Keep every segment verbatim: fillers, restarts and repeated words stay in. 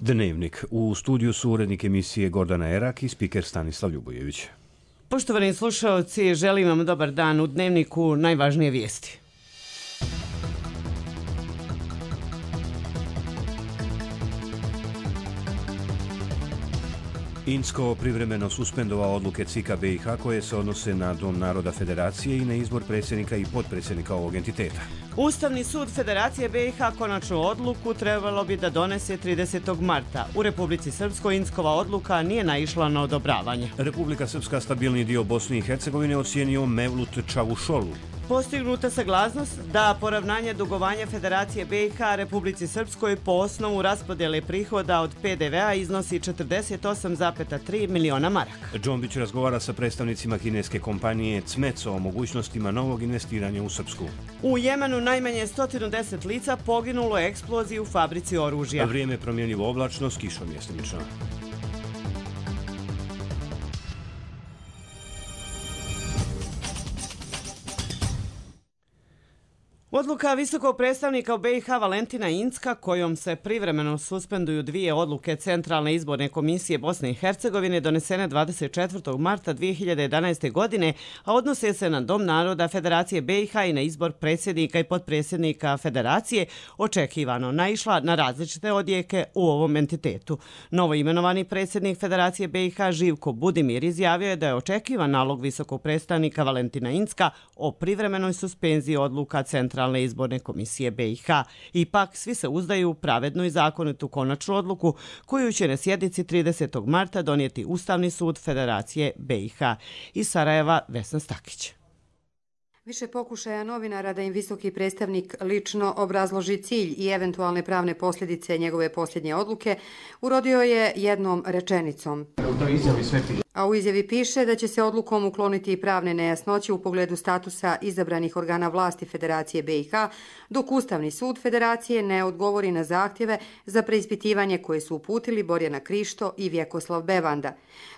Dnevnik. U studiju su urednik emisije Gordana Erak i spiker Stanislav Ljubojević. Poštovani slušaoci, želim vam dobar dan. U Dnevniku najvažnije vijesti. Incko privremeno suspendovao odluke C I K-a B i H koje se odnose na Dom naroda Federacije i na izbor predsjednika i potpredsjednika ovog entiteta. Ustavni sud Federacije B i H konačnu odluku trebalo bi da donese tridesetog marta. U Republici Srpskoj Inckova odluka nije naišla na odobravanje. Republika Srpska stabilni dio Bosne i Hercegovine ocijenio Mevlut Čavušolu. Postignuta saglasnost da poravnanje dugovanja Federacije B i H Republici Srpskoj po osnovu raspodjele prihoda od P D V-a iznosi četrdeset osam zarez tri miliona maraka. Džombić razgovara sa predstavnicima kineske kompanije Cmeco o mogućnostima novog investiranja u Srpsku. U Jemenu najmanje sto deset lica poginulo je eksploziji u fabrici oružja. Vrijeme promjenjivo oblačno s kišom mjestimično. Odluka visokog predstavnika u B i H Valentina Incka, kojom se privremeno suspenduju dvije odluke Centralne izborne komisije Bosne i Hercegovine donesene dvadeset četvrtog marta dvije hiljade jedanaeste. godine, a odnose se na Dom naroda Federacije B i H i na izbor predsjednika i potpredsjednika Federacije, očekivano naišla na različite odjeke u ovom entitetu. Novo imenovani predsjednik Federacije B i H Živko Budimir izjavio je da je očekivan nalog visokog predstavnika Valentina Incka o privremenoj suspenziji odluka Centralne izborne komisije B i H. Ipak, svi se uzdaju u pravednu i zakonitu konačnu odluku koju će na sjednici tridesetog marta donijeti Ustavni sud Federacije B i H. Iz Sarajeva Vesna Stakić. Više pokušaja novinara da im visoki predstavnik lično obrazloži cilj i eventualne pravne posljedice njegove posljednje odluke urodio je jednom rečenicom. A u izjavi piše da će se odlukom ukloniti pravne nejasnoće u pogledu statusa izabranih organa vlasti Federacije B i H, dok Ustavni sud Federacije ne odgovori na zahtjeve za preispitivanje koje su uputili Borjana Krišto i Vjekoslav Bevanda.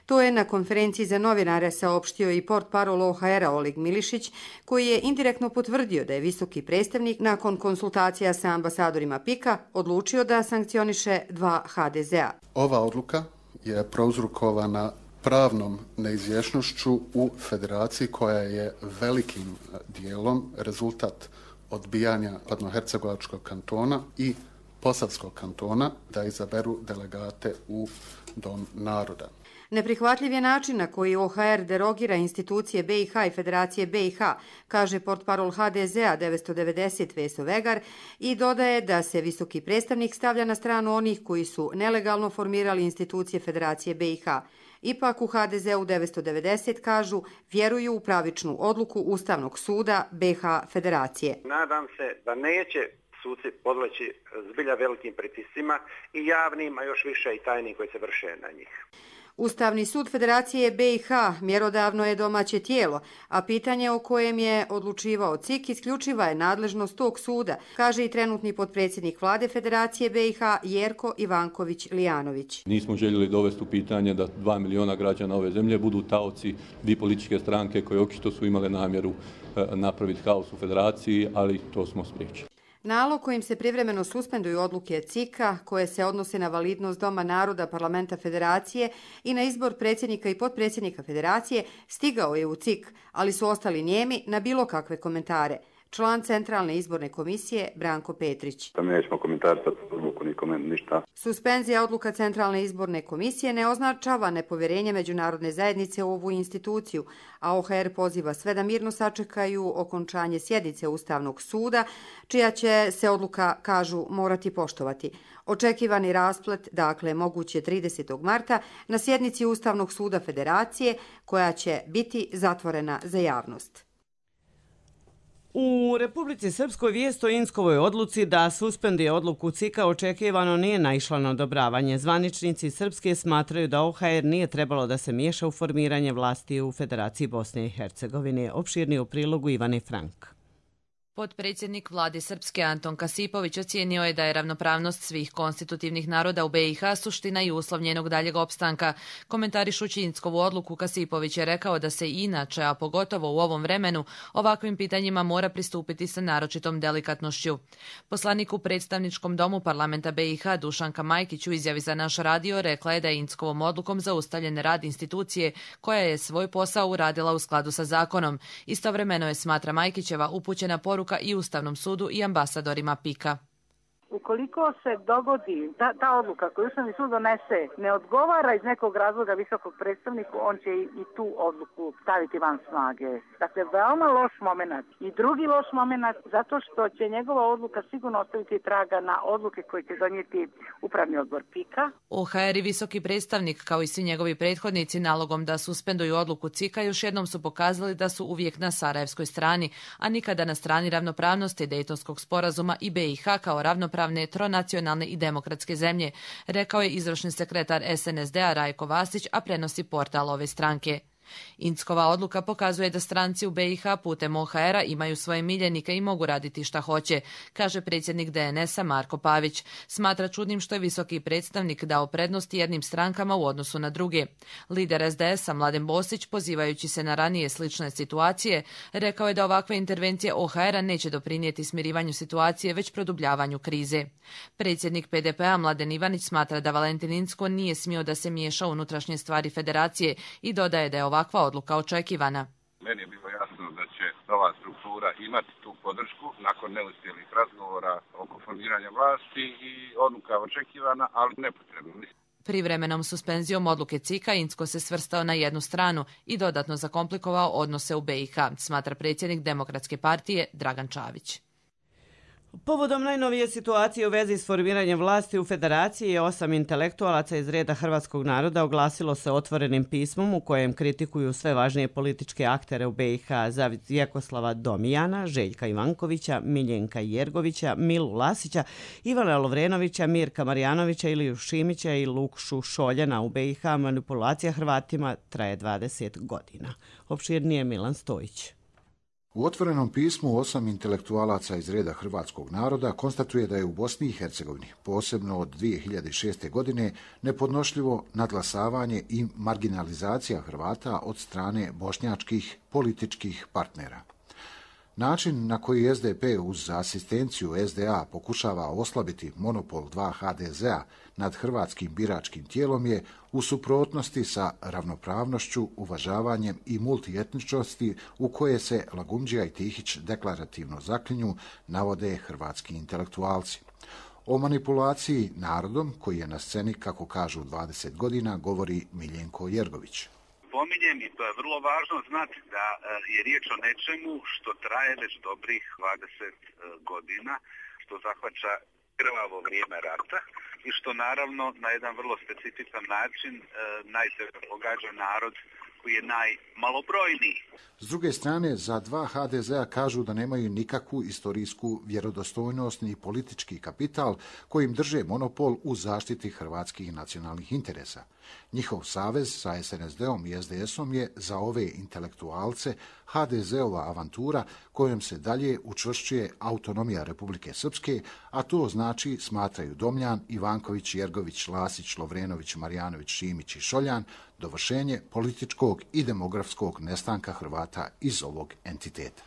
To je na konferenciji za novinare saopštio i portparol O H R-a Oleg Milišić, koji je indirektno potvrdio da je visoki predstavnik nakon konsultacija sa ambasadorima P I K-a odlučio da sankcioniše dva H D Z-a. Ova odluka je prouzrokovana pravnom neizvjesnošću u federaciji koja je velikim dijelom rezultat odbijanja Padnohercegovačkog kantona i Posavskog kantona da izaberu delegate u Dom naroda. Neprihvatljiv je način na koji O H R derogira institucije B i H i Federacije B i H, kaže portparol H D Z-a devetsto devedeset Veso Vegar i dodaje da se visoki predstavnik stavlja na stranu onih koji su nelegalno formirali institucije Federacije B i H. Ipak u H D Z-u devetsto devedeset kažu vjeruju u pravičnu odluku Ustavnog suda B H Federacije. Nadam se da neće suci podleći zbilja velikim pritiscima i javnim, a još više i tajnim koji se vrše na njih. Ustavni sud Federacije B i H mjerodavno je domaće tijelo, a pitanje o kojem je odlučivao C I K isključiva je nadležnost tog suda, kaže i trenutni potpredsjednik vlade Federacije B i H Jerko Ivanković-Lijanović. Nismo željeli dovesti u pitanje da dva miliona građana ove zemlje budu taoci dvije političke stranke koje očito su imale namjeru napraviti haos u Federaciji, ali to smo spriječili. Nalog kojim se privremeno suspenduju odluke C I K-a koje se odnose na validnost Doma naroda Parlamenta Federacije i na izbor predsjednika i potpredsjednika Federacije stigao je u C I K, ali su ostali nijemi na bilo kakve komentare. Član Centralne izborne komisije Branko Petrić. Mi nećemo komentarisati odluku nikome ništa. Suspenzija odluka Centralne izborne komisije ne označava nepovjerenje međunarodne zajednice u ovu instituciju, a O H R poziva sve da mirno sačekaju okončanje sjednice Ustavnog suda, čija će se odluka, kažu, morati poštovati. Očekivani rasplet, dakle, moguće tridesetog marta na sjednici Ustavnog suda Federacije, koja će biti zatvorena za javnost. U Republici Srpskoj vijest o Inckovoj odluci da suspenduje odluku C I K-a očekivano nije naišla na odobravanje. Zvaničnici Srpske smatraju da O H R nije trebalo da se miješa u formiranje vlasti u Federaciji Bosne i Hercegovine. Opširnije u prilogu Ivane Frank. Potpredsjednik vlade Srpske Anton Kasipović ocijenio je da je ravnopravnost svih konstitutivnih naroda u B i H suština i uslov njenog daljeg opstanka. Komentarišući Inckovu odluku, Kasipović je rekao da se inače, a pogotovo u ovom vremenu, ovakvim pitanjima mora pristupiti sa naročitom delikatnošću. Poslanik u predstavničkom domu parlamenta B i H Dušanka Majkić u izjavi za naš radio rekla je da je Inckovom odlukom zaustavljen rad institucije koja je svoj posao uradila u skladu sa zakonom. Istovremeno je, smatra Majkićeva, upućena poruka i Ustavnom sudu i ambasadorima Pika. Ukoliko se dogodi ta, ta odluka koju Ustavni sud donese ne odgovara iz nekog razloga visokog predstavniku, on će i, i tu odluku staviti van snage. Dakle, veoma loš moment. I drugi loš moment zato što će njegova odluka sigurno ostaviti traga na odluke koje će donijeti Upravni odbor Pika. O H R i visoki predstavnik, kao i svi njegovi prethodnici, nalogom da suspenduju odluku Cika još jednom su pokazali da su uvijek na sarajevskoj strani, a nikada na strani ravnopravnosti Dejtonskog sporazuma i B i H kao ravnopravnosti tronacionalne i demokratske zemlje, rekao je izvršni sekretar S N S D-a Rajko Vasić, a prenosi portal ove stranke. Inckova odluka pokazuje da stranci u B i H putem O H R-a imaju svoje miljenike i mogu raditi šta hoće, kaže predsjednik D N S-a Marko Pavić. Smatra čudnim što je visoki predstavnik dao prednost jednim strankama u odnosu na druge. Lider S D S-a Mladen Bosić, pozivajući se na ranije slične situacije, rekao je da ovakve intervencije O H R-a neće doprinijeti smirivanju situacije, već produbljavanju krize. Predsjednik P D P-a Mladen Ivanić smatra da Valentin Incko nije smio da se miješa u unutrašnje stvari federacije i dodaje da je ovakva odluka očekivana. Meni je bilo jasno da će nova struktura imati tu podršku nakon neuspjelih razgovora oko formiranja vlasti i odluka očekivana, ali nepotrebno. Privremenom suspenzijom odluke Cika Incko se svrstao na jednu stranu i dodatno zakomplikovao odnose u B i H, smatra predsjednik Demokratske partije Dragan Čavić. Povodom najnovije situacije u vezi s formiranjem vlasti u Federaciji je osam intelektualaca iz reda hrvatskog naroda oglasilo se otvorenim pismom u kojem kritikuju sve važnije političke aktere u B i H: Vjekoslava Domijana, Željka Ivankovića, Miljenka Jergovića, Milu Lasića, Ivana Lovrenovića, Mirka Marjanovića, Iliju Šimića i Lukšu Šoljana. U B i H manipulacija Hrvatima traje dvadeset godina. Opširnije Milan Stojić. U otvorenom pismu osam intelektualaca iz reda hrvatskog naroda konstatuje da je u Bosni i Hercegovini, posebno od dvije hiljade šeste. godine, nepodnošljivo nadglasavanje i marginalizacija Hrvata od strane bošnjačkih političkih partnera. Način na koji S D P uz asistenciju S D A pokušava oslabiti monopol dva H D Z-a nad hrvatskim biračkim tijelom je u suprotnosti sa ravnopravnošću, uvažavanjem i multietničnosti u koje se Lagumdžija i Tihić deklarativno zaklinju, navode hrvatski intelektualci. O manipulaciji narodom, koji je na sceni, kako kažu, dvadeset godina, govori Miljenko Jergović. Pominjem, i to je vrlo važno znati, da je riječ o nečemu što traje već dobrih dvadeset godina, što zahvaća krvavo vrijeme rata i što naravno na jedan vrlo specifičan način najteže pogađa narod koji je najmalobrojniji. S druge strane, za dva H D Z-a kažu da nemaju nikakvu istorijsku vjerodostojnost ni politički kapital kojim drže monopol u zaštiti hrvatskih nacionalnih interesa. Njihov savez sa S N S D-om i S D S-om je za ove intelektualce H D Z-ova avantura kojom se dalje učvršćuje autonomija Republike Srpske, a to znači, smatraju Domljan, Ivanković, Jergović, Lasić, Lovrenović, Marjanović, Šimić i Šoljan, dovršenje političkog i demografskog nestanka Hrvata iz ovog entiteta.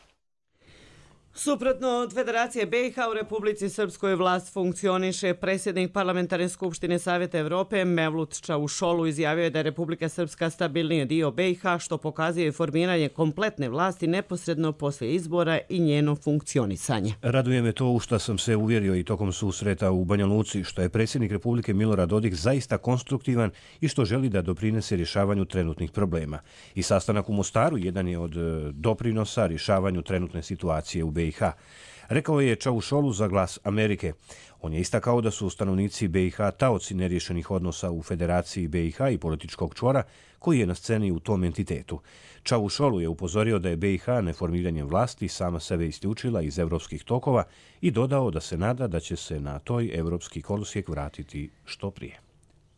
Suprotno od Federacije B i H u Republici Srpskoj vlast funkcioniše. Predsjednik Parlamentarne skupštine Savjeta Evrope Mevlut Čavušolu izjavio je da je Republika Srpska stabilniji dio B i H, što pokazuje formiranje kompletne vlasti neposredno poslije izbora i njeno funkcionisanje. Raduje me to u što sam se uvjerio i tokom susreta u Banja Luci, što je predsjednik Republike Milorad Dodik zaista konstruktivan i što želi da doprinese rješavanju trenutnih problema. I sastanak u Mostaru jedan je od doprinosa rješavanju trenutne situacije u B i H. Rekao je Čavušolu za Glas Amerike. On je istakao da su stanovnici B i H taoci neriješenih odnosa u Federaciji B i H i političkog čvora koji je na sceni u tom entitetu. Čavušolu je upozorio da je B i H neformiranjem vlasti sama sebe isključila iz evropskih tokova i dodao da se nada da će se na toj evropski kolosijek vratiti što prije.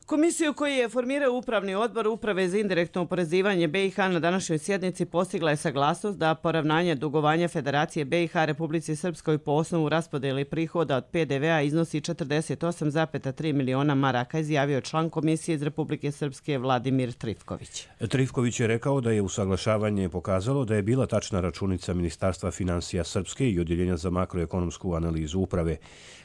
Komisiju koju je formirao Upravni odbor Uprave za indirektno oporezivanje B i H na današnjoj sjednici postigla je saglasnost da poravnanje dugovanja Federacije B i H Republici Srpskoj po osnovu raspodjele prihoda od P D V-a iznosi četrdeset osam zarez tri miliona maraka, izjavio član Komisije iz Republike Srpske Vladimir Trifković. Trifković je rekao da je usaglašavanje pokazalo da je bila tačna računica Ministarstva financija Srpske i Odjeljenja za makroekonomsku analizu uprave.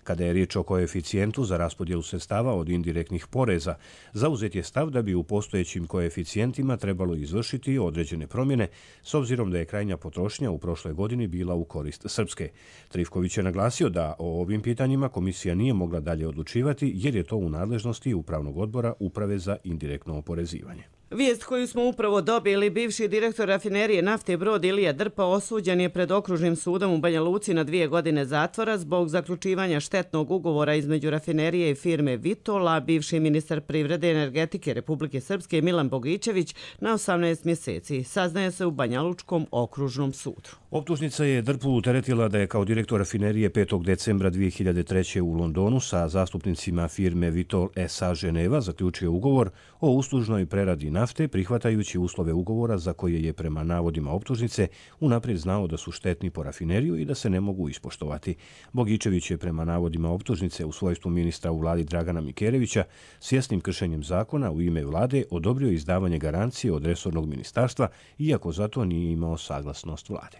Kada je riječ o koeficijentu za raspodjelu sredstava od indirektnih poreza, zauzet je stav da bi u postojećim koeficijentima trebalo izvršiti određene promjene, s obzirom da je krajnja potrošnja u prošloj godini bila u korist Srpske. Trifković je naglasio da o ovim pitanjima komisija nije mogla dalje odlučivati jer je to u nadležnosti Upravnog odbora Uprave za indirektno oporezivanje. Vijest koju smo upravo dobili, bivši direktor rafinerije nafte Brod Ilija Drpa osuđen je pred okružnim sudom u Banja Luci na dvije godine zatvora zbog zaključivanja štetnog ugovora između rafinerije i firme Vitola. Bivši ministar privrede i energetike Republike Srpske Milan Bogićević na osamnaest mjeseci, saznaje se u Banja Lučkom okružnom sudu. Optužnica je Drpu teretila da je kao direktor rafinerije petog decembra dvije hiljade treće. u Londonu sa zastupnicima firme Vitol S A Ženeva zaključio ugovor o uslužnoj preradi nafte, prihvatajući uslove ugovora za koje je prema navodima optužnice unaprijed znao da su štetni po rafineriju i da se ne mogu ispoštovati. Bogićević je prema navodima optužnice u svojstvu ministra u vladi Dragana Mikerevića svjesnim kršenjem zakona u ime vlade odobrio izdavanje garancije od resornog ministarstva, iako zato nije imao saglasnost vlade.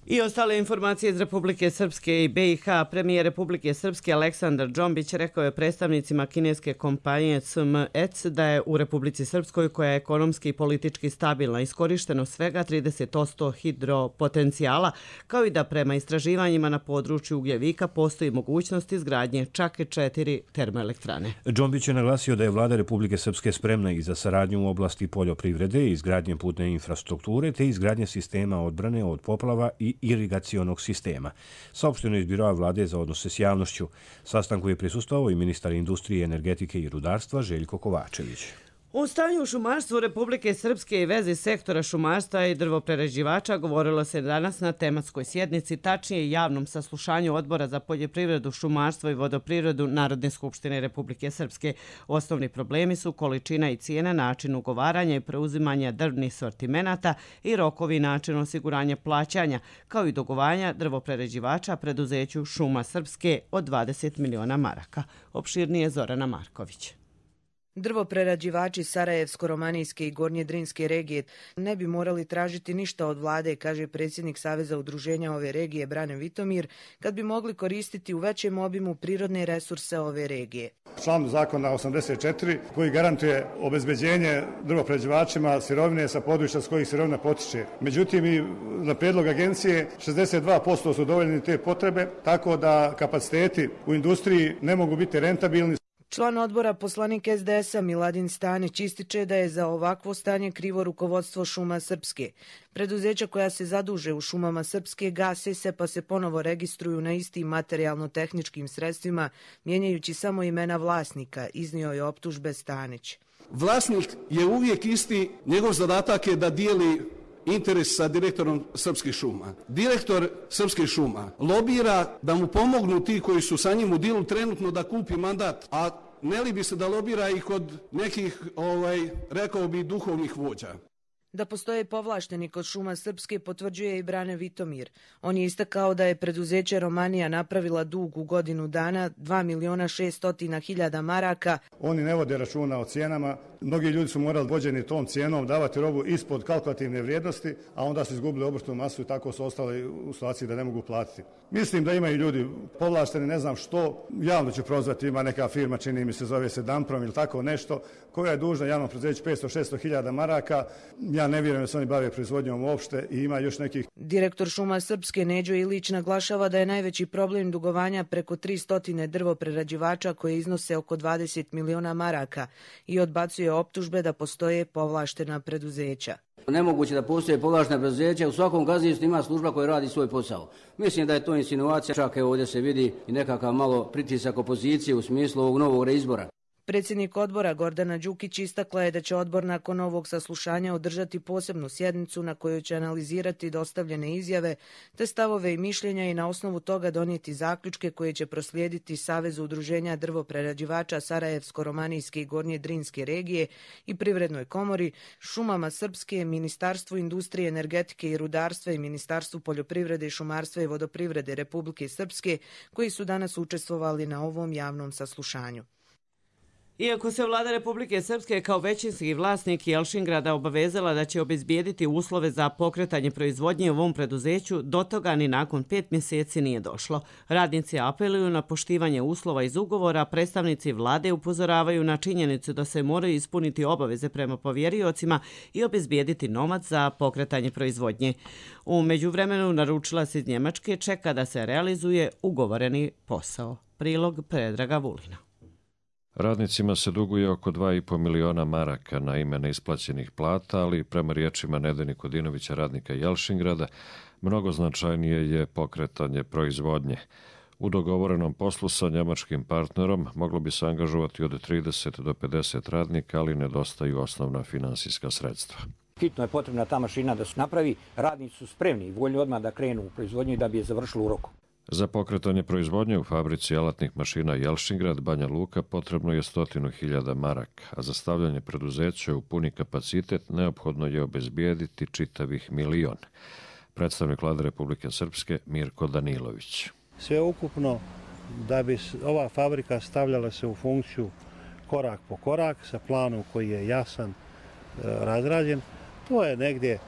I ostale informacije iz Republike Srpske i B i H. Premijer Republike Srpske Aleksandar Džombić rekao je predstavnicima kineske kompanije C M E C da je u Republici Srpskoj, koja je ekonomski i politički stabilna, iskorišteno svega trideset posto hidropotencijala, kao i da prema istraživanjima na području ugljevika postoji mogućnost izgradnje čak četiri termoelektrane. Džombić je naglasio da je vlada Republike Srpske spremna i za saradnju u oblasti poljoprivrede, izgradnje putne infrastrukture te izgradnje sistema odbrane od poplava i irigacionog sistema. Saopšteno je iz Biroa vlade za odnose s javnošću. Sastanku je prisustvovao i ministar industrije, energetike i rudarstva Željko Kovačević. U stanju u šumarstvu Republike Srpske i vezi sektora šumarstva i drvoprerađivača govorilo se danas na tematskoj sjednici, tačnije javnom saslušanju Odbora za poljoprivredu, šumarstvo i vodoprivredu Narodne skupštine Republike Srpske. Osnovni problemi su količina i cijena, način ugovaranja i preuzimanja drvnih sortimenata i rokovi i način osiguranja plaćanja, kao i dugovanja drvoprerađivača preduzeću Šuma Srpske od dvadeset miliona maraka. Opširnije Zorana Marković. Drvoprerađivači Sarajevsko-romanijske i Gornje-Drinske regije ne bi morali tražiti ništa od vlade, kaže predsjednik Saveza udruženja ove regije Brane Vitomir, kad bi mogli koristiti u većem obimu prirodne resurse ove regije. Član zakona osamdeset četiri koji garantuje obezbeđenje drvoprerađivačima sirovine sa područja s kojih sirovina potiče. Međutim, i na prijedlog agencije šezdeset dva posto su dovoljni te potrebe, tako da kapaciteti u industriji ne mogu biti rentabilni. Član odbora poslanik S D S-a Miladin Stanić ističe da je za ovakvo stanje krivo rukovodstvo Šuma Srpske. Preduzeća koja se zaduže u Šumama Srpske gase se pa se ponovo registruju na istim materijalno-tehničkim sredstvima, mijenjajući samo imena vlasnika, iznio je optužbe Stanić. Vlasnik je uvijek isti, njegov zadatak je da dijeli interes sa direktorom Srpskih šuma. Direktor Srpskih šuma lobira da mu pomognu ti koji su sa njim u dilu trenutno da kupi mandat, a ne li bi se da lobira i kod nekih, ovaj, rekao bi, duhovnih vođa. Da postoje povlašteni kod Šuma Srpske potvrđuje i Brane Vitomir. On je istakao da je preduzeće Romanija napravila dug u godinu dana dva miliona šeststo hiljada maraka. Oni ne vode računa o cijenama. Mnogi ljudi su morali vođeni tom cijenom davati robu ispod kalkulativne vrijednosti, a onda su izgubili obrtnu masu i tako su ostali u situaciji da ne mogu platiti. Mislim da imaju ljudi povlašteni, ne znam što, javno ću prozvati, ima neka firma, čini mi se zove se Damprom ili tako nešto, koja je dužna javnom preduzeću petsto do šesto hiljada maraka. Ja ne vjerujem da se oni bave proizvodnjom uopšte i ima još nekih. Direktor Šuma Srpske Neđo Ilić naglašava da je najveći problem dugovanja preko tristo drvoprerađivača koje iznose oko dvadeset miliona maraka i odbacuje optužbe da postoje povlaštena preduzeća. Nemoguće da postoje povlaštena preduzeća, u svakom gazdinstvu ima služba koja radi svoj posao. Mislim da je to insinuacija, čak evo ovdje se vidi i nekakav malo pritisak opozicije u smislu ovog novog reizbora. Predsjednik odbora Gordana Đukić istakla je da će odbor nakon ovog saslušanja održati posebnu sjednicu na kojoj će analizirati dostavljene izjave te stavove i mišljenja i na osnovu toga donijeti zaključke koje će proslijediti Savezu udruženja drvoprerađivača Sarajevsko-romanijske i Gornje Drinske regije i Privrednoj komori, Šumama Srpske, Ministarstvu industrije, energetike i rudarstva i Ministarstvu poljoprivrede, šumarstva i vodoprivrede Republike Srpske, koji su danas učestvovali na ovom javnom saslušanju. Iako se vlada Republike Srpske kao većinski vlasnik Jelšingrada obavezala da će obezbijediti uslove za pokretanje proizvodnje u ovom preduzeću, do toga ni nakon pet mjeseci nije došlo. Radnici apeluju na poštivanje uslova iz ugovora, predstavnici vlade upozoravaju na činjenicu da se moraju ispuniti obaveze prema povjeriocima i obezbijediti novac za pokretanje proizvodnje. U međuvremenu naručilac iz Njemačke čeka da se realizuje ugovoreni posao. Prilog Predraga Vulina. Radnicima se duguje oko dva i po miliona maraka na ime neisplaćenih plata, ali prema riječima Nede Nikodinovića, radnika Jelšingrada, mnogo značajnije je pokretanje proizvodnje. U dogovorenom poslu sa njemačkim partnerom moglo bi se angažovati od trideset do pedeset radnika, ali nedostaju osnovna finansijska sredstva. Hitno je potrebna ta mašina da se napravi, radnici su spremni i voljni odmah da krenu u proizvodnju i da bi je završili u roku. Za pokretanje proizvodnje u fabrici alatnih mašina Jelšingrad, Banja Luka, potrebno je stotinu hiljada maraka, a za stavljanje preduzeća u puni kapacitet neophodno je obezbijediti čitavih milion. Predstavnik vlade Republike Srpske Mirko Danilović. Sve ukupno da bi ova fabrika stavljala se u funkciju korak po korak sa planom koji je jasan, razrađen, to je negdje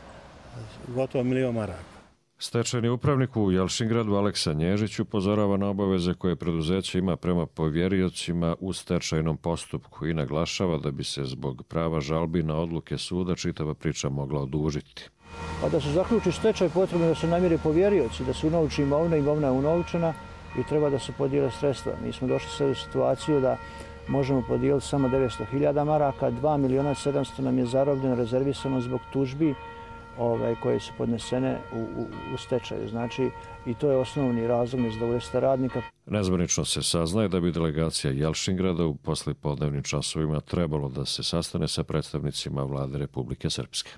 gotovo milion maraka. Stečajni upravnik u Jelšingradu Aleksa Nježić upozorava na obaveze koje preduzeće ima prema povjeriocima u stečajnom postupku i naglašava da bi se zbog prava žalbi na odluke suda čitava priča mogla odužiti. A da se zaključi stečaj, potrebno je da se namire povjerioci, da se unovči imovina, imovina je unovčena i treba da se podijele sredstva. Mi smo došli sad u situaciju da možemo podijeliti samo devetsto hiljada maraka, dva miliona sedamsto nam je zarobljeno, rezervisano zbog tužbi Ove, koje su podnesene u, u, u stečaju. Znači, i to je osnovni razlog nezadovoljstva radnika. Nezvanično se saznaje da bi delegacija Jelšingrada u poslijepodnevnim časovima trebalo da se sastane sa predstavnicima vlade Republike Srpske.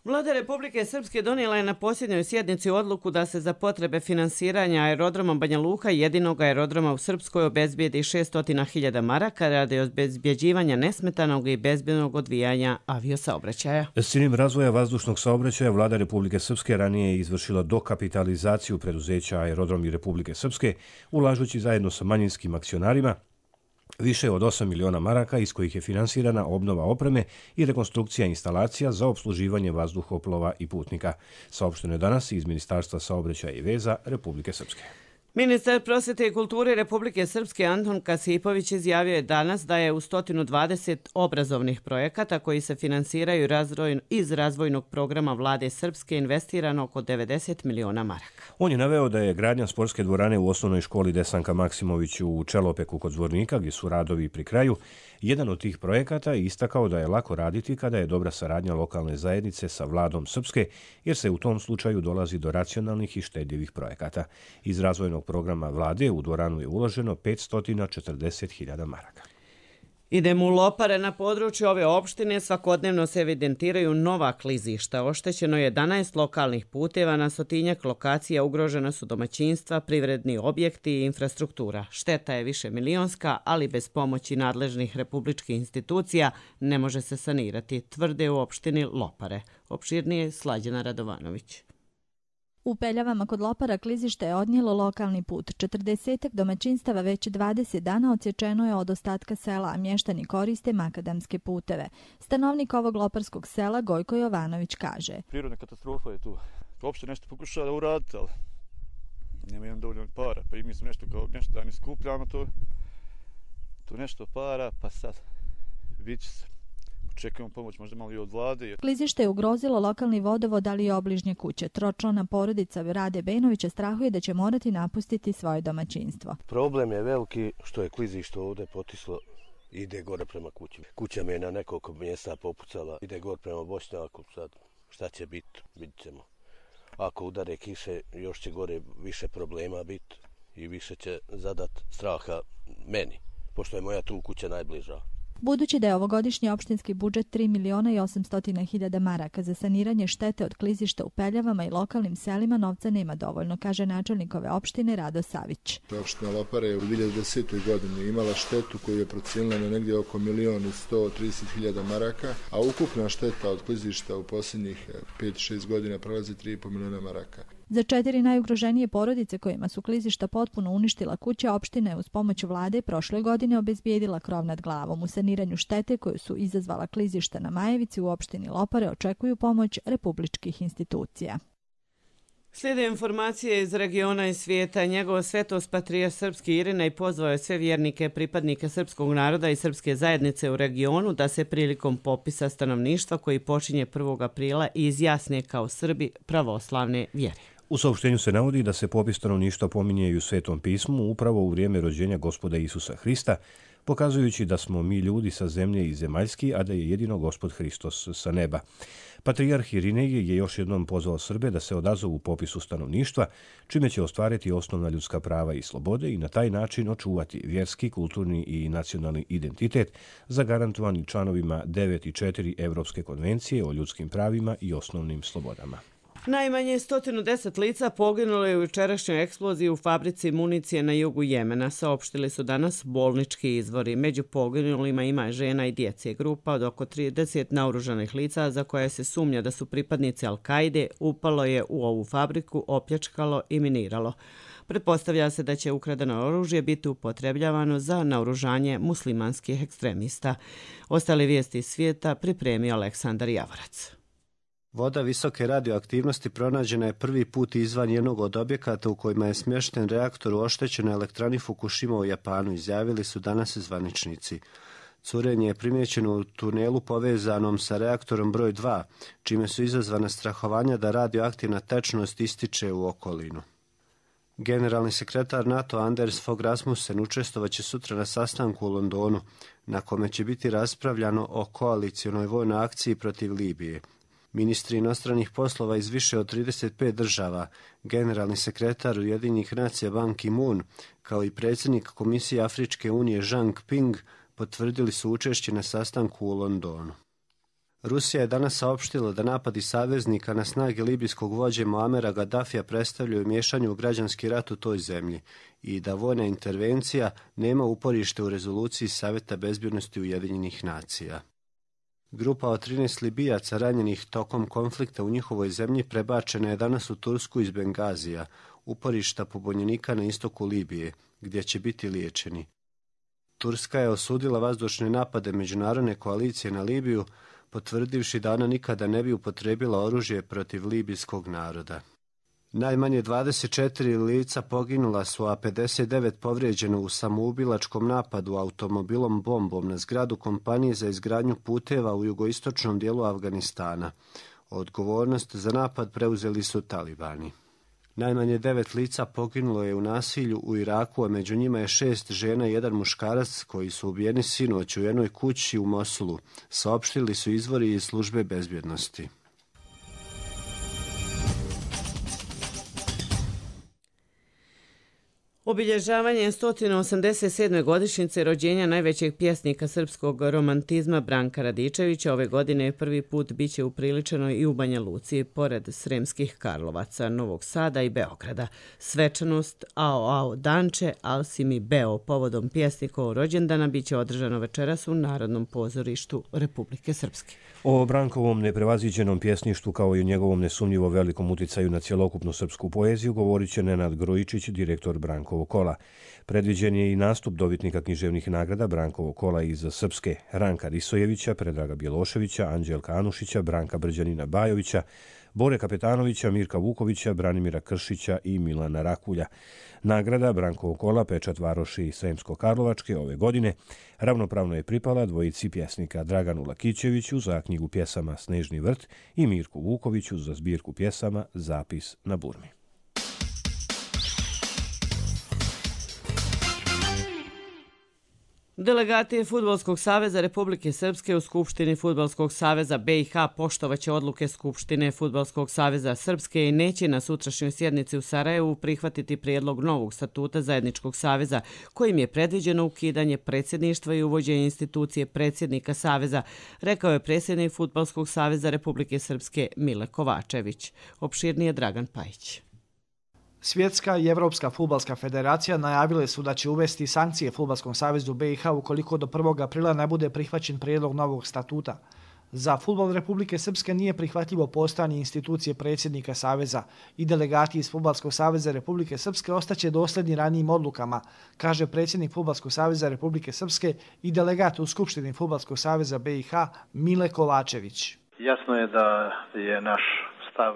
Vlada Republike Srpske donijela je na posljednjoj sjednici odluku da se za potrebe finansiranja aerodroma Banja Luka, jedinog aerodroma u Srpskoj, obezbijedi šesto hiljada maraka radi obezbjeđivanja nesmetanog i bezbjednog odvijanja aviosaobraćaja. S ciljem razvoja vazdušnog saobraćaja vlada Republike Srpske ranije je izvršila dokapitalizaciju preduzeća Aerodromi Republike Srpske, ulažući zajedno sa manjinskim akcionarima više od osam miliona maraka, iz kojih je finansirana obnova opreme i rekonstrukcija instalacija za obsluživanje vazduhoplova i putnika. Saopšteno je danas iz Ministarstva saobraćaja i veza Republike Srpske. Ministar prosvjete i kulture Republike Srpske Anton Kasipović izjavio je danas da je u sto dvadeset obrazovnih projekata koji se finansiraju iz razvojnog programa vlade Srpske investirano oko devedeset miliona maraka. On je naveo da je gradnja sportske dvorane u osnovnoj školi Desanka Maksimović u Čelopeku kod Zvornika, gdje su radovi pri kraju, jedan od tih projekata i istakao da je lako raditi kada je dobra saradnja lokalne zajednice sa vladom Srpske, jer se u tom slučaju dolazi do racionalnih i štedljivih projekata. Iz razvojnog programa vlade u dvoranu je uloženo petsto četrdeset hiljada maraka. Idemo u Lopare. Na području ove opštine svakodnevno se evidentiraju nova klizišta. Oštećeno je jedanaest lokalnih puteva, na stotinjak lokacija ugrožena su domaćinstva, privredni objekti i infrastruktura. Šteta je više milionska, ali bez pomoći nadležnih republičkih institucija ne može se sanirati, tvrde u opštini Lopare. Opširnije Slađana Radovanović. U Peljavama kod Lopara klizište je odnijelo lokalni put. četrdesetak domaćinstava već dvadeset dana odsječeno je od ostatka sela, a mještani koriste makadamske puteve. Stanovnik ovog loparskog sela Gojko Jovanović kaže: Prirodna katastrofa je tu. Uopšte nešto pokušava da uraditi, ali nema jedan dovoljno para. Pa i mi smo nešto kao nešto da ne skupljamo to, to nešto para, pa sad vidit će se. Očekujemo pomoć možda malo i od vlade. Klizište je ugrozilo lokalni vodovod, ali i obližnje kuće. Tročlana porodica Rade Bejnovića strahuje da će morati napustiti svoje domaćinstvo. Problem je veliki što je klizište ovdje potislo, ide gore prema kući. Kuća mi je na nekoliko mjesta popucala, ide gore prema Bošnjaku. Sad šta će biti, vidit ćemo. Ako udare kiše, još će gore više problema biti i više će zadat straha meni. pošto je moja tu kuća najbliža. Budući da je ovogodišnji opštinski budžet tri miliona i osamsto hiljada maraka za saniranje štete od klizišta u Peljavama i lokalnim selima, novca nema dovoljno, kaže načelnik ove opštine Rado Savić. Opština Lopara je u dvije hiljade desetoj godini imala štetu koju je procijenila na negdje oko milion i sto trideset hiljada maraka, a ukupna šteta od klizišta u posljednjih pet do šest godina prelazi tri i po miliona maraka. Za četiri najugroženije porodice kojima su klizišta potpuno uništila kuće, opština je uz pomoć vlade prošle godine obezbijedila krov nad glavom. U saniranju štete koju su izazvala klizišta na Majevici u opštini Lopare očekuju pomoć republičkih institucija. Slijede informacije iz regiona i svijeta. Njegova svetost patrijarh srpski Irinej pozvao je sve vjernike, pripadnike srpskog naroda i srpske zajednice u regionu da se prilikom popisa stanovništva koji počinje prvog aprila izjasne kao Srbi pravoslavne vjere. U saopštenju se navodi da se popis stanovništva pominje i u Svetom pismu upravo u vrijeme rođenja Gospoda Isusa Hrista, pokazujući da smo mi ljudi sa zemlje i zemaljski, a da je jedino Gospod Hristos sa neba. Patrijarh Irinej je još jednom pozvao Srbe da se odazovu popisu stanovništva, čime će ostvariti osnovna ljudska prava i slobode i na taj način očuvati vjerski, kulturni i nacionalni identitet zagarantovani članovima devet i četiri Evropske konvencije o ljudskim pravima i osnovnim slobodama. Najmanje sto deset lica poginulo je u jučerašnjoj eksploziji u fabrici municije na jugu Jemena, saopštili su danas bolnički izvori. Među poginulima ima žena i djece. Grupa od oko trideset naoružanih lica za koje se sumnja da su pripadnici Al-Kaide upalo je u ovu fabriku, opljačkalo i miniralo. Pretpostavlja se da će ukradeno oružje biti upotrebljavano za naoružanje muslimanskih ekstremista. Ostale vijesti iz svijeta pripremio Aleksandar Javorac. Voda visoke radioaktivnosti pronađena je prvi put izvan jednog od objekata u kojima je smješten reaktor u oštećenoj elektrani Fukushima u Japanu, izjavili su danas zvaničnici. Curenje je primjećeno u tunelu povezanom sa reaktorom broj dva, čime su izazvana strahovanja da radioaktivna tečnost ističe u okolinu. Generalni sekretar NATO Anders Fogh Rasmussen učestvovaće sutra na sastanku u Londonu, na kome će biti raspravljano o koalicionoj vojnoj akciji protiv Libije. Ministri inostranih poslova iz više od trideset pet država, generalni sekretar Ujedinjenih nacija Ban Ki-moon, kao i predsjednik Komisije Afričke unije Jean Ping, potvrdili su učešće na sastanku u Londonu. Rusija je danas saopštila da napadi saveznika na snage libijskog vođe Muamera Gaddafija predstavljaju miješanje u građanski rat u toj zemlji i da vojna intervencija nema uporište u rezoluciji Savjeta bezbjednosti Ujedinjenih nacija. Grupa od trinaest Libijaca ranjenih tokom konflikta u njihovoj zemlji prebačena je danas u Tursku iz Bengazija, uporišta pobunjenika na istoku Libije, gdje će biti liječeni. Turska je osudila vazdušne napade međunarodne koalicije na Libiju, potvrdivši da ona nikada ne bi upotrijebila oružje protiv libijskog naroda. Najmanje dvadeset četiri lica poginula su, a pedeset devet povrijeđeno u samoubilačkom napadu automobilom bombom na zgradu kompanije za izgradnju puteva u jugoistočnom dijelu Afganistana. Odgovornost za napad preuzeli su talibani. Najmanje devet lica poginulo je u nasilju u Iraku, a među njima je šest žena i jedan muškarac koji su ubijeni sinoć u jednoj kući u Mosulu, saopštili su izvori iz službe bezbjednosti. Obilježavanje sto osamdeset sedme godišnjice rođenja najvećeg pjesnika srpskog romantizma Branka Radičevića ove godine prvi put biće upriličeno i u Banja Luci, pored Sremskih Karlovaca, Novog Sada i Beograda. Svečanost Ao Ao Danče, Al si mi Beo, povodom pjesnikovog rođendana biće održano večeras u Narodnom pozorištu Republike Srpske. O Brankovom neprevaziđenom pjesništvu kao i o njegovom nesumnjivo velikom uticaju na cjelokupnu srpsku poeziju govorit će Nenad Grojičić, direktor Brankovog kola. Predviđen je i nastup dobitnika književnih nagrada Brankovog kola iz Srpske, Ranka Risojevića, Predraga Bjeloševića, Anđelka Anušića, Branka Brđanina Bajovića, Bore Kapetanovića, Mirka Vukovića, Branimira Kršića i Milana Rakulja. Nagrada Brankovog kola Pečat Varoši Sremsko-Karlovačke ove godine ravnopravno je pripala dvojici pjesnika Draganu Lakićeviću za knjigu pjesama Snežni vrt i Mirku Vukoviću za zbirku pjesama Zapis na burmi. Delegati Fudbalskog saveza Republike Srpske u Skupštini Fudbalskog saveza B i H poštovaće odluke Skupštine Fudbalskog saveza Srpske i neće na sutrašnjoj sjednici u Sarajevu prihvatiti prijedlog novog statuta zajedničkog saveza kojim je predviđeno ukidanje predsjedništva i uvođenje institucije predsjednika saveza, rekao je predsjednik Fudbalskog saveza Republike Srpske Mile Kovačević. Opširnije Dragan Pajić. Svjetska i Evropska fudbalska federacija najavile su da će uvesti sankcije Fudbalskom savezu B i H ukoliko do prvog aprila ne bude prihvaćen prijedlog novog statuta. Za fudbal Republike Srpske nije prihvatljivo postojanje institucije predsjednika saveza i delegati iz Fudbalskog saveza Republike Srpske ostaće dosljedni ranijim odlukama, kaže predsjednik Fudbalskog saveza Republike Srpske i delegat u Skupštini Fudbalskog saveza B i H Mile Kovačević. Jasno je da je naš stav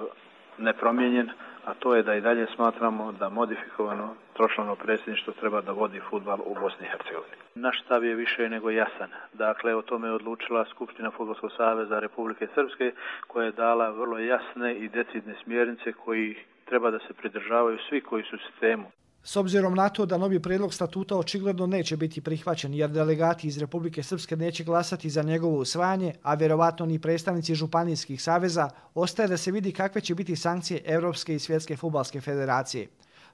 nepromijenjen, a to je da i dalje smatramo da modifikovano tročlano predsjedništvo treba da vodi fudbal u Bosni i Hercegovini. Naš stav je više nego jasan. Dakle, o tome je odlučila Skupština Fudbalskog saveza Republike Srpske, koja je dala vrlo jasne i decidne smjernice koji treba da se pridržavaju svi koji su u sistemu. S obzirom na to da novi prijedlog statuta očigledno neće biti prihvaćen jer delegati iz Republike Srpske neće glasati za njegovo usvajanje, a vjerovatno ni predstavnici županijskih saveza, ostaje da se vidi kakve će biti sankcije Evropske i Svjetske fudbalske federacije.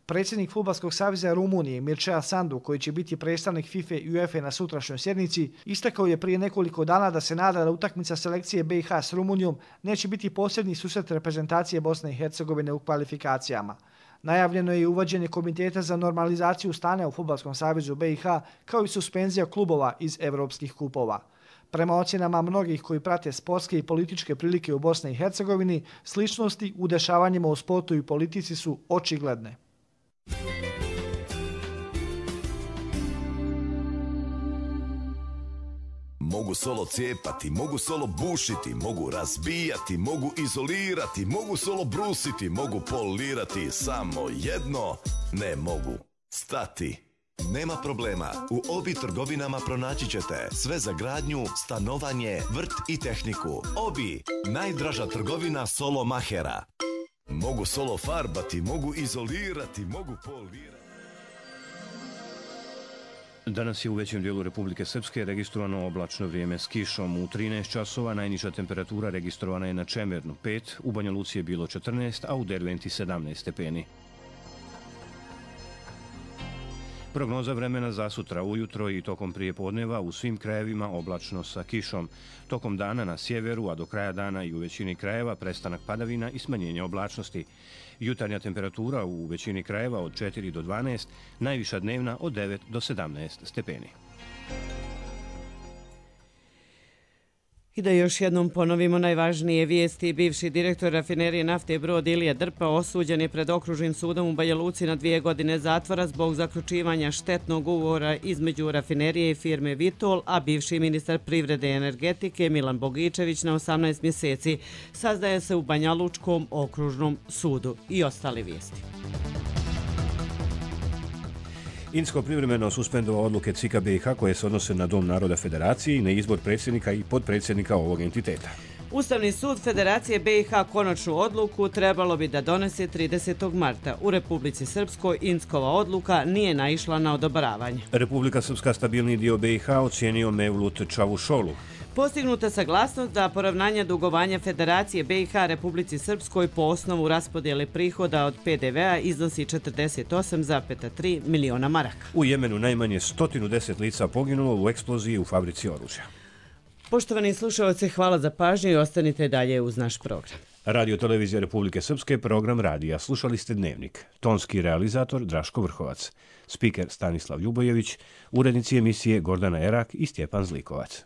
Predsjednik Fudbalskog saveza Rumunije Mircea Sandu, koji će biti predstavnik FIFA i UEFA na sutrašnjoj sjednici, istakao je prije nekoliko dana da se nada da utakmica selekcije B i H s Rumunijom neće biti posljednji susret reprezentacije Bosne i Hercegovine u kvalifikacijama. Najavljeno je i uvođenje komiteta za normalizaciju stanja u Fudbalskom savezu B i H, kao i suspenzija klubova iz evropskih kupova. Prema ocjenama mnogih koji prate sportske i političke prilike u Bosni i Hercegovini, sličnosti u dešavanjima u sportu i politici su očigledne. Mogu solo cijepati, mogu solo bušiti, mogu razbijati, mogu izolirati, mogu solo brusiti, mogu polirati, samo jedno ne mogu stati. Nema problema, u Obi trgovinama pronaći ćete sve za gradnju, stanovanje, vrt i tehniku. Obi, najdraža trgovina solo mahera. Mogu solo farbati, mogu izolirati, mogu polirati. Danas je u većem dijelu Republike Srpske registrovano oblačno vrijeme s kišom. U trinaest časova najniža temperatura registrovana je na Čemernu pet, u Banja Luci je bilo četrnaest, a u Derventi sedamnaest stepeni. Prognoza vremena za sutra ujutro i tokom prijepodneva u svim krajevima oblačno sa kišom. Tokom dana na sjeveru, a do kraja dana i u većini krajeva prestanak padavina i smanjenje oblačnosti. Jutarnja temperatura u većini krajeva od četiri do dvanaest, najviša dnevna od devet do sedamnaest stepeni. I da još jednom ponovimo najvažnije vijesti. Bivši direktor rafinerije nafte Brod Ilija Drpa osuđen je pred okružnim sudom u Banja Luci na dvije godine zatvora zbog zaključivanja štetnog ugovora između rafinerije i firme Vitol, a bivši ministar privrede i energetike Milan Bogičević na osamnaest mjeseci sazdaje se u Banja Lučkom okružnom sudu. I ostale vijesti. Insko privremeno suspendova odluke C I K A B i H koje se odnose na Dom naroda Federacije i na izbor predsjednika i podpredsjednika ovog entiteta. Ustavni sud Federacije B i H konačnu odluku trebalo bi da donese tridesetog marta. U Republici Srpskoj Inskova odluka nije naišla na odobravanje. Republika Srpska stabilni dio B i H ocijenio Mevlut Čavušolu. Postignuta saglasnost da poravnanje dugovanja Federacije B i H Republici Srpskoj po osnovu raspodjele prihoda od P D V-a iznosi četrdeset osam zarez tri miliona maraka. U Jemenu najmanje sto deset lica poginulo u eksploziji u fabrici oružja. Poštovani slušalci, hvala za pažnju i ostanite dalje uz naš program. Radio Televizija Republike Srpske, program radija. Slušali ste Dnevnik. Tonski realizator Draško Vrhovac. Spiker Stanislav Ljubojević. Urednici emisije Gordana Erak i Stjepan Zlikovac.